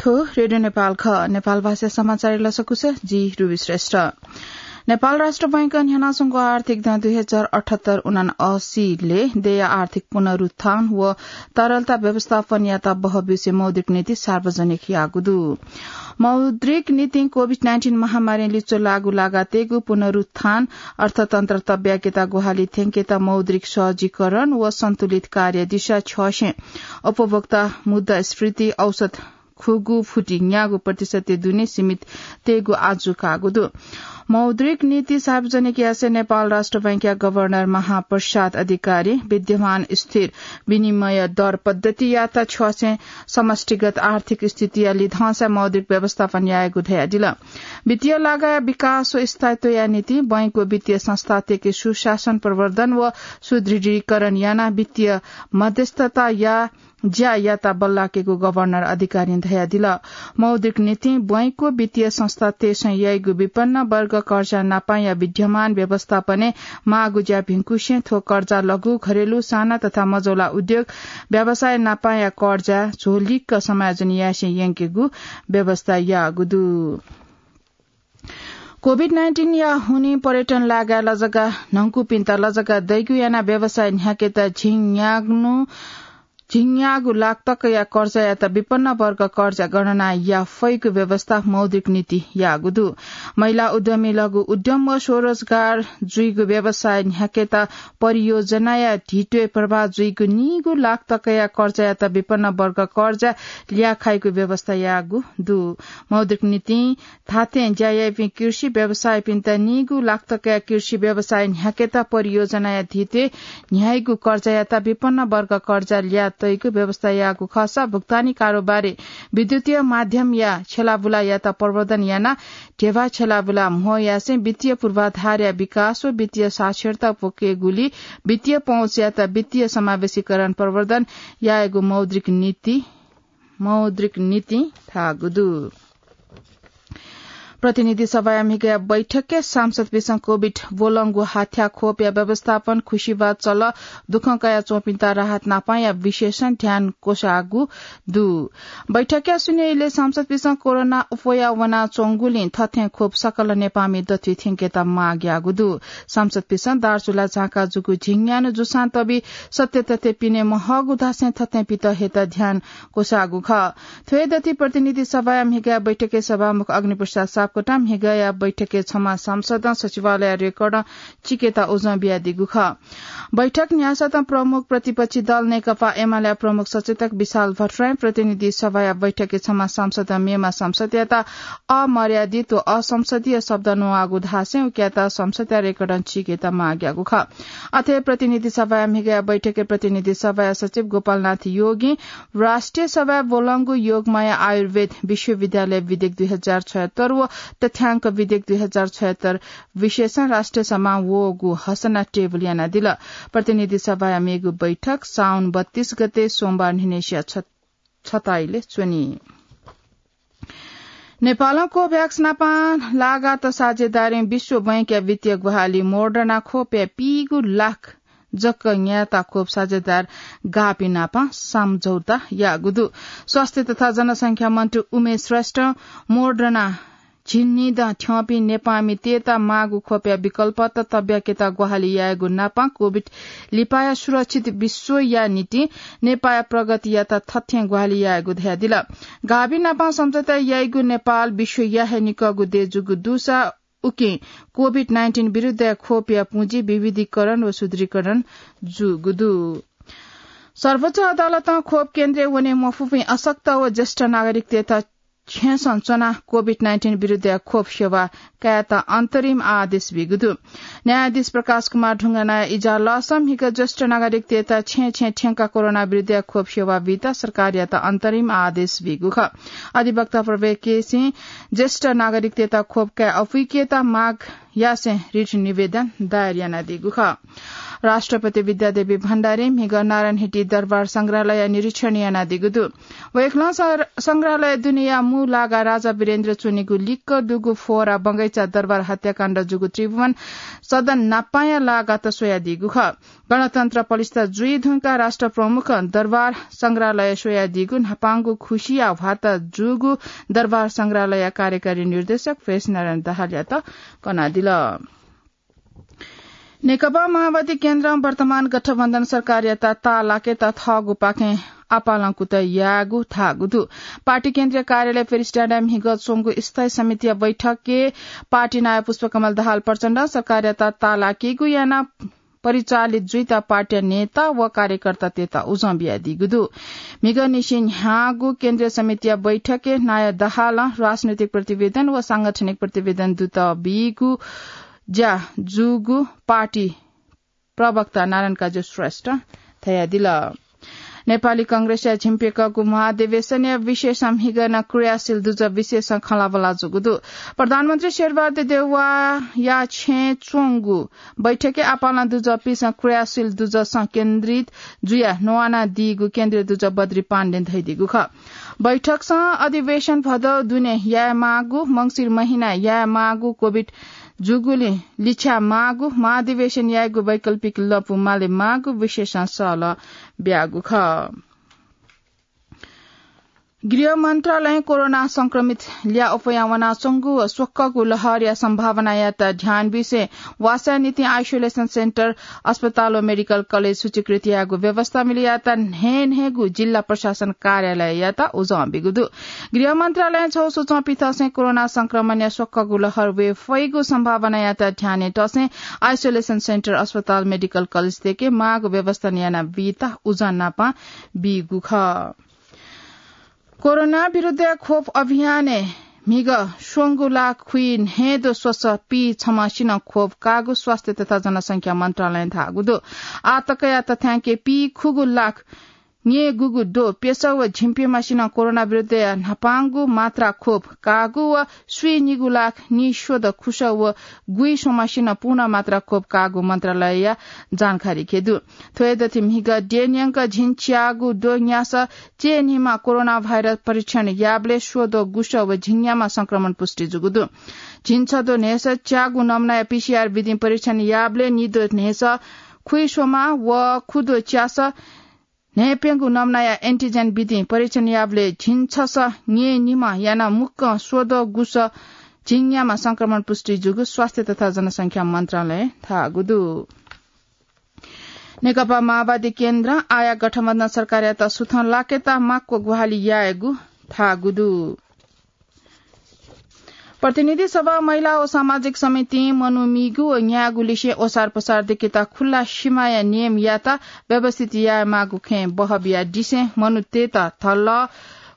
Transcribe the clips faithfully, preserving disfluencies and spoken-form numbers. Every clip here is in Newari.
थ्व रेडियो नेपाल खः। नेपाल भाषा समाचार लसकुस, जि रुबी श्रेष्ठ। नेपाल राष्ट्र बैंकं न्ह्यानाच्वंगु आर्थिक दँ दुई हजार अठहत्तर उनासी ले देय आर्थिक पुनरुत्थान व तरलता व्यवस्थापनयात बहःब्यूसे मौद्रिक नीति सार्वजनिक याःगु दु। मौद्रिक नीतिं कोभिड नाइन्टिन महामारीं लिच्वः लाःगु लागातय्गु पुनरुत्थान, अर्थतन्त्र तब्याकेत ग्वाहालि थ्यंकेत मौद्रिक सहजीकरण व सन्तुलित कार्य दिशा छ्यःसें उपभोक्ता मुद्रास्फीति औसत खुगू फुति न्यागू प्रतिशत दुने सीमित तयेगु आजु काःगु दु। मौद्रिक नीति सार्वजनिक यासें नेपाल राष्ट्र बैंकया गभर्नर महाप्रसाद अधिकारी विद्यमान स्थिर विनिमय दर पद्धतियात छ्यःसें समष्टिगत आर्थिक स्थितिया लिधंसा मौद्रिक व्यवस्थापन यायेगु धयादिल। वित्तीय लागाया विकास व स्थायित्वया निंतिं बैंक व वित्तीय संस्थातय्के सुशासन प्रवर्धन व सुदृढीकरण यानाः वित्तीय मध्यस्थता या ज्या यात बल्लाकेगु गभर्नर अधिकारीं धयादिल। मौद्रिक नीतिं बैंक व वित्तीय संस्थातय्सं याइगु विपन्न वर्ग कर्जा नापांया विद्यमान व्यवस्थापनय् माःगु ज्या भिंकुसें थ्व कर्जा लघु, घरेलु, साना तथा मझौला उद्योग, व्यवसाय नापांया कर्जा झोलिक्क समायोजन यासें यंकेगु व्यवस्था याःगु दु। कोभिड नाइन्टिनया हुनिं पर्यटन लागाय् लजगाः न्हंकुपिन्त लजगाः दइगु यानाः व्यवसाय न्ह्याकेत झिंन्यागू, झिंन्यागू लाख तकया कर्जायात विपन्न वर्ग कर्जा गणना याफइगु व्यवस्था मौद्रिक नीति याःगु दु। महिला उद्यमी, लघु उद्यम व स्वरोजगार जुइगु व्यवसाय न्ह्याकेत परियोजनाया धितोय् प्रवाह जुइगु नीगू लाख तकया कर्जायात विपन्न वर्ग कर्जा ल्याखाइगु व्यवस्था याःगु दु। मौद्रिक नीतिं धात्थें ज्या याइपिं कृषि व्यवसायीपिन्त नीगू लाख तकया कृषि व्यवसाय न्ह्याकेत परियोजनाया धितोय् न्ह्याइगु कर्जायात विपन्न वर्ग कर्जा ल्यातइगु व्यवस्था याःगु खःसा भुक्तानी कारोबारय् विद्युतीय माध्यमया छेलाबुलायात प्रवर्धन यानाः ध्यबा छेलाबुला म्हो यासें वित्तीय पूर्वाधारया विकास व वित्तीय साक्षरता प्वकेगुली वित्तीय पहुँचयात वित्तीय समावेशीकरण प्रवर्धन यायेगु मौद्रिक नीति, मौद्रिक नीतिं धाःगु दु। प्रतिनिधि सभाया म्हिगया बैठकय् सांसदपिसं कोभिड ब्वलंगु हाथ्या खोपया व्यवस्थापन, खुसिबाद चल, दुःखं कयाच्वंपिन्त राहत नापांया विशेषं ध्यान क्वसाःगु दु। बैठकया शून्य इलय् सांसदपिसं कोरोना अप्वया वनाच्वंगुलिं थथें खोप सकल नेपाःमि दथुइ थ्यंकेत माग याःगु दु। सांसदपिसं दार्चुला झाँका जूगु झिंन्यान्हु जुसां तबि सत्य तथ्य पिने महःगु धासें थथें पित हयेत ध्यान क्वसाःगु खः। थ्व हे दथुइ प्रतिनिधि सभाया म्हिगया बैठकय् सभामुख अग्निप्रसाद सापकोटां म्हिगया बैठकय् छम्ह सांसदं सचिवालय रेकर्डं चिकेत उजं बियादीगु खः। बैठक न्ह्यासतं प्रमुख प्रतिपक्षी दल नेकपा एमालेया प्रमुख सचेतक विशाल भट्टराईं प्रतिनिधि सभाया बैठकय् छम्ह सांसदं मेम्ह सांसदयात अमर्यादित व असंसदीय शब्द न्ववाःगु धासें उकियात संसदया रेकर्डं चिकेत माग याःगु खः। अथे प्रतिनिधि सभाया म्हिगया बैठकय् प्रतिनिधि सभाया सचिव गोपालनाथ योगीं राष्ट्रिय सभाय् ब्वलंगु योगमाया आयुर्वेद विश्वविद्यालय विधेयक दुई हजार छयत्तर व तथ्यांक विधेयक दुई हजार छयत्तर विशेषं राष्ट्रिय सभां वःगु हसना टेबुल यानादिल। प्रतिनिधि सभाया मेगु बैठक साउन बत्तीस गते सोमबार न्हिनय्सिया छ, छ ता इलय् च्वनी। नेपालं कोभ्याक्स नापं लागात साझेदारीं विश्व बैंकया वित्तीय ग्वाहालि मोडर्ना खोपया पीगू लाख जक न्यायेत खोप साझेदार गाःपिं नापं सम्झौता याःगु दु। स्वास्थ्य तथा जनसंख्या मन्त्री उमेश श्रेष्ठं मोडर्ना झिंनिदँ थ्यंपिं नेपाःमितय्त माःगु खोपया विकल्पत तब्याकेत ग्वाहालि यायेगु नापं कोभिड लिपाया सुरक्षित विश्वया निंतिं नेपाःया प्रगतियात थथें ग्वाहालि यायेगु धयादिल। गाःपिं नापं सम्झौता याइगु नेपाल विश्वया हे निकःगु देश जूगु दुसा उकिं कोभिड नाइन्टिन विरुद्धया खोपया पुँजी विविधीकरण व सुदृढीकरण जूगु दु। सर्वोच्च अदालतं खोप केन्द्रय् वने मफुपिं अशक्त व ज्येष्ठ नागरिकतय्त छेँसं च्वनाः कोभिड नाइन्टिन विरुद्धया खोप सेवा कायेत अन्तरिम आदेश बीगु दु। न्यायाधीश प्रकाश कुमार ढुङ्गानाया इजलासं म्हिगः ज्येष्ठ नागरिकतय्त छेँ छेँ थ्यंकाः कोरोना विरुद्धया खोप सेवा बीत सरकारयात अन्तरिम आदेश बीगु खः। अधिवक्ता प्रवीण केसीं ज्येष्ठ नागरिकतय्त खोप काये अपुइकेत माग यासें रिट निवेदन दायर यानादीगु खः। राष्ट्रपति विद्यादेवी भण्डारी म्हिगः नारायणहिटी दरबार संग्रहालय निरीक्षण यानादीगु दु। वय्कलं सं-, संग्रहालय दुनेया मू लागा राजा वीरेन्द्र च्वनीगु लिक्क दुगु फोहरा बगैँचा दरबार हत्याकाण्ड जूगु त्रिभुवन सदन न्हापांया लागात स्वयादीगु खः। गणतन्त्र पलिस्था जुइ धुंकाः राष्ट्र प्रमुखं दरबार संग्रहालय स्वयादीगु न्हापांगु खुसिया ह्वात जूगु दरबार संग्रहालय कार्यकारी निर्देशक फेसनारायण दाहालयात कनादिल। नेकपा माओवादी केन्द्रं वर्तमान गठबन्धन सरकारयात ताःलाकेत थःगुपाखें आपालं कुतः याःगु धाःगु दु। पार्टी केन्द्रीय कार्यालय पेरिस डाँडाय् म्हिगः च्वंगु स्थायी समितिया बैठकय् पार्टी नायः पुष्पकमल दाहाल प्रचण्डं सरकारयात ताःलाकेगु यानाः परिचालित जुइत पार्टीया नेता व कार्यकर्तातय्त उजं बियादीगु दु। म्हिगः निसें न्ह्याःगु केन्द्रीय समितिया बैठकय् नायः दाहालं राजनैतिक प्रतिवेदन व सांगठनिक प्रतिवेदन दुत बीगु ज्या जूगु पार्टी प्रवक्ता नारायण काजी श्रेष्ठं धयादिल। नेपाली कांग्रेसया झिंप्यंकःगु महाधिवेशनया विषयसं म्हिगः नं क्रियाशील दुजः विषयसं खँल्हाबल्हा जूगु दु। प्रधानमन्त्री शेरबहादुर देउवाया छेँय् च्वंगु बैठकय् आपालं दुजःपिसं क्रियाशील दुजःसं केन्द्रित जुयाः न्वानादीगु केन्द्रीय दुजः बद्री पाण्डें धयादीगु खः। बैठकसं अधिवेशन भदौ दुने यायेमाःगु, मंसिर महिनाय् यायेमाःगु कोभिड जूगुलिं लिछ्याः माःगु, महाधिवेशन यायेगु वैकल्पिक लँपु माले माःगु विषयसं सहलह ब्याःगु खः। गृह मन्त्रालयं कोरोना संक्रमित ल्याः अप्वयाः वनाच्वंगु व स्वक्वःगु लहरया सम्भावनायात ध्यान बिसें वासःया निंतिं isolation center, अस्पताल व medical college सूचीकृत यायेगु व्यवस्था मिले यायेत न्हय्न्हय्गु जिल्ला प्रशासन कार्यालययात उजं बीगु दु। गृह मन्त्रालयं छगू सूचं पिथंसें कोरोना संक्रमणया स्वक्वःगु लहर वये फइगु सम्भावनायात ध्यानय् तसें isolation center, अस्पताल, medical college तय्के माःगु व्यवस्था यानाबीत उजं नापं बीगु खः। कोरोना विरुद्धया खोप अभियानय् म्हिगः स्वंगू लाख खुइन्हय्दँ स्वसः पीछम्हसिनं खोप काःगु स्वास्थ्य तथा जनसंख्या मन्त्रालयं धाःगु दु। आः तकया तथ्यांकय् पीखुगू लाख न्यय्गुगु द्वः प्यसः व झिंप्यम्हसिनं कोरोना विरुद्धया न्हापांगु मात्रा खोप काःगु व स्वीनिगू लाख निस्वदँ खुसः व गुइस्वम्हसिनं पूर्ण मात्रा खोप काःगु मन्त्रालयया जानकारी कयादु। थ्व हे दथुइ म्हिगः द्यः न्यंक झिंच्यागू द्वः न्यासः चय्निम्ह कोरोना भाइरस परीक्षण याःबलय् स्वद्वः गुसः व झिंन्याम्ह संक्रमण पुष्टि जूगु दु। झिंछद्वः न्हय्सः च्यागू नमुनाया पीसीआर विधिं परीक्षण याःबलय् निद्वः न्हय्सः खुइस्वम्ह व खुद्वः च्यासः न्हय्प्यंगू नमुनाया एन्टिजेन विधिं परीक्षण याःबलय् झिंछसः न्यय्निम्ह यानाः मुक्कं स्वद्वः गुसः झिंन्याम्ह संक्रमण पुष्टि जूगु स्वास्थ्य तथा जनसंख्या मन्त्रालयं धाःगु दु। नेकपा माओवादी केन्द्रं आःया गठबन्धन सरकारयात सुथं लाकेत माक्व ग्वाहालि यायेगु धाःगु दु। प्रतिनिधि सभा महिला व सामाजिक समितिं मनू मीगु व न्यायेगु लिसें ओसार पसार दकेत खुल्ला सिमाया नियमयात व्यवस्थित यायेमाःगु खँय् बहः बियादिसें मनूतय्त धल्लः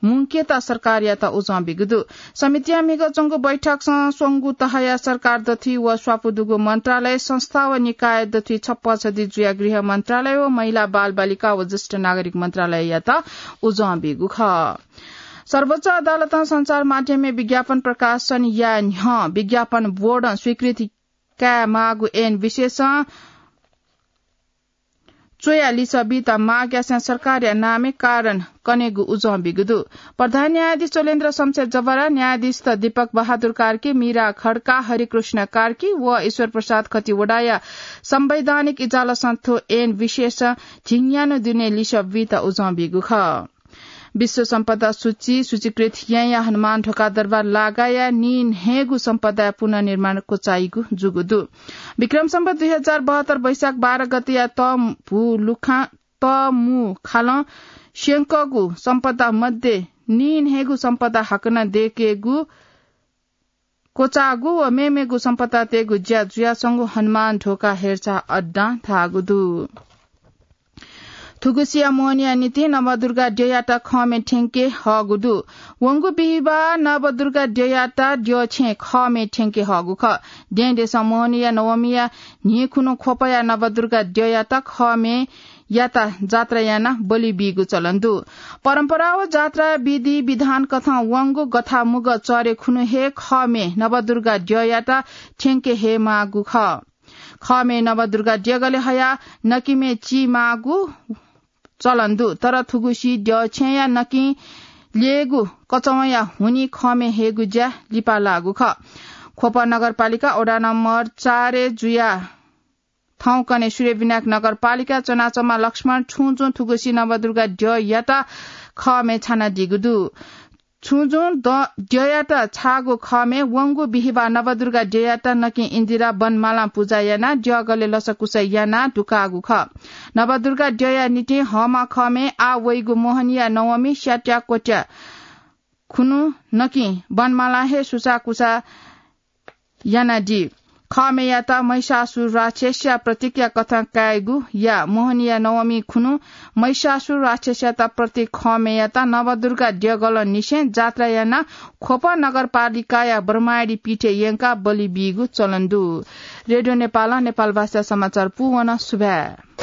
मुंकेत सरकारयात उजं बीगु दु। समितिया म्हिगः च्वंगु बैठकसं स्वंगू तहया सरकार दथुइ व स्वापू दुगु मन्त्रालय, संस्था व निकाय दथुइ छप्पँ छधी जुयाः गृह मन्त्रालय व महिला, बालबालिका व ज्येष्ठ नागरिक मन्त्रालययात उजं बीगु खः। सर्वोच्च अदालतं सञ्चार माध्यमय् विज्ञापन प्रकाशन याये न्ह्यः विज्ञापन बोर्डं स्वीकृति कायेमाःगु ऐन विशेषं च्वयाः लिसः बीत माग्यासें सरकारया नामय् कारण कनेगु उजं बीगु दु। प्रधान न्यायाधीश चोलेन्द्र शमशेर जवरा, न्यायाधीशत दीपक बहादुर कार्की, मीरा खड्का, हरिकृष्ण कार्की व ईश्वर प्रसाद खतिवडाया संवैधानिक इजालसं थ्व ऐन विशेषं झिंन्यान्हु दुने लिसः बीत उजं बीगु खः। विश्व सम्पदा सूची सूचीकृत याँया हनुमान ढोका दरबार लागाया नीन्हय्गू सम्पदाया पुनर्निर्माण क्वचाइगु जूगु दु। विक्रम सम्वत दुई हजार बहत्तर वैशाख बाह्र गतेया तमु लुखा, तमु खालं स्यंकःगु सम्पदा मध्ये नीन्हय्गू सम्पदा हाकनं दयेकेगु क्वचाःगु व मेमेगु सम्पदातय्गु ज्या जुयाच्वंगु हनुमान ढोका हेरचाह अड्डां धाःगु दु। थुगुसिया मोहनिया निंतिं नवदुर्गा द्यःयात खःमय् थ्यंके हःगु दु। वंगु बिहिबाः नवदुर्गा द्यःयात द्यःछेँय् खःमय् थ्यंके हःगु खः। दँय्‌देशं मोहनिया नवमीया न्हिं खुन्हु ख्वपया नवदुर्गा द्यःयात खःमय् याता जात्रा याना बलि बीगु चलन दु। परम्परा व जात्रा विधि विधान कथं वंगु गथामुग चरे खुनु हे खमे नवदुर्गा द्ययाता थ्यंके हे मागु खः। खमे नवदुर्गा द्यगले हया नकिमे ची मागु चलन दु, तर थुगुसी द्य छेँया नकिं ल्येगु कचवंया हुनि खमे हेगु ज्या लिपा लागु खः। ख्वप नगरपालिका वडा नम्बर चार जुया थौंकन्हे सूर्यविनायक नगरपालिका चनाचमा लक्ष्मण छुंजुं थुगुसी नवदुर्गा द्ययाता खमे छानादीगु दु। छुंजुं द्ययाता छाःगु खमे वंगु बिहिबार नवदुर्गा द्ययाता नकिं इन्दिरा बनमालां पुजा यानाः द्यगले लसकुस यानाः दुकाःगु खः। नवदुर्गा द्यया निंतिं हःमा खमे आः वइगु मोहनिया नवमी स्याट्या क्वट्या खुनु नकिं बनमालां हे सुसाकुसा यानादी। खमेयात महिषासुर राक्षसया प्रतीकया कथं कायेगु या मोहनिया नवमी खुनु महिषासुर राक्षसयात प्रतीक खमेयात नवदुर्गा द्यगलं निसें जात्रा यानाः ख्वप नगरपालिकाया ब्रह्माडी पीठय् यंकाः बलि बीगु चलन दु। रेडियो नेपालं नेपाल भाषा समाचार पूवन। सुभाय्।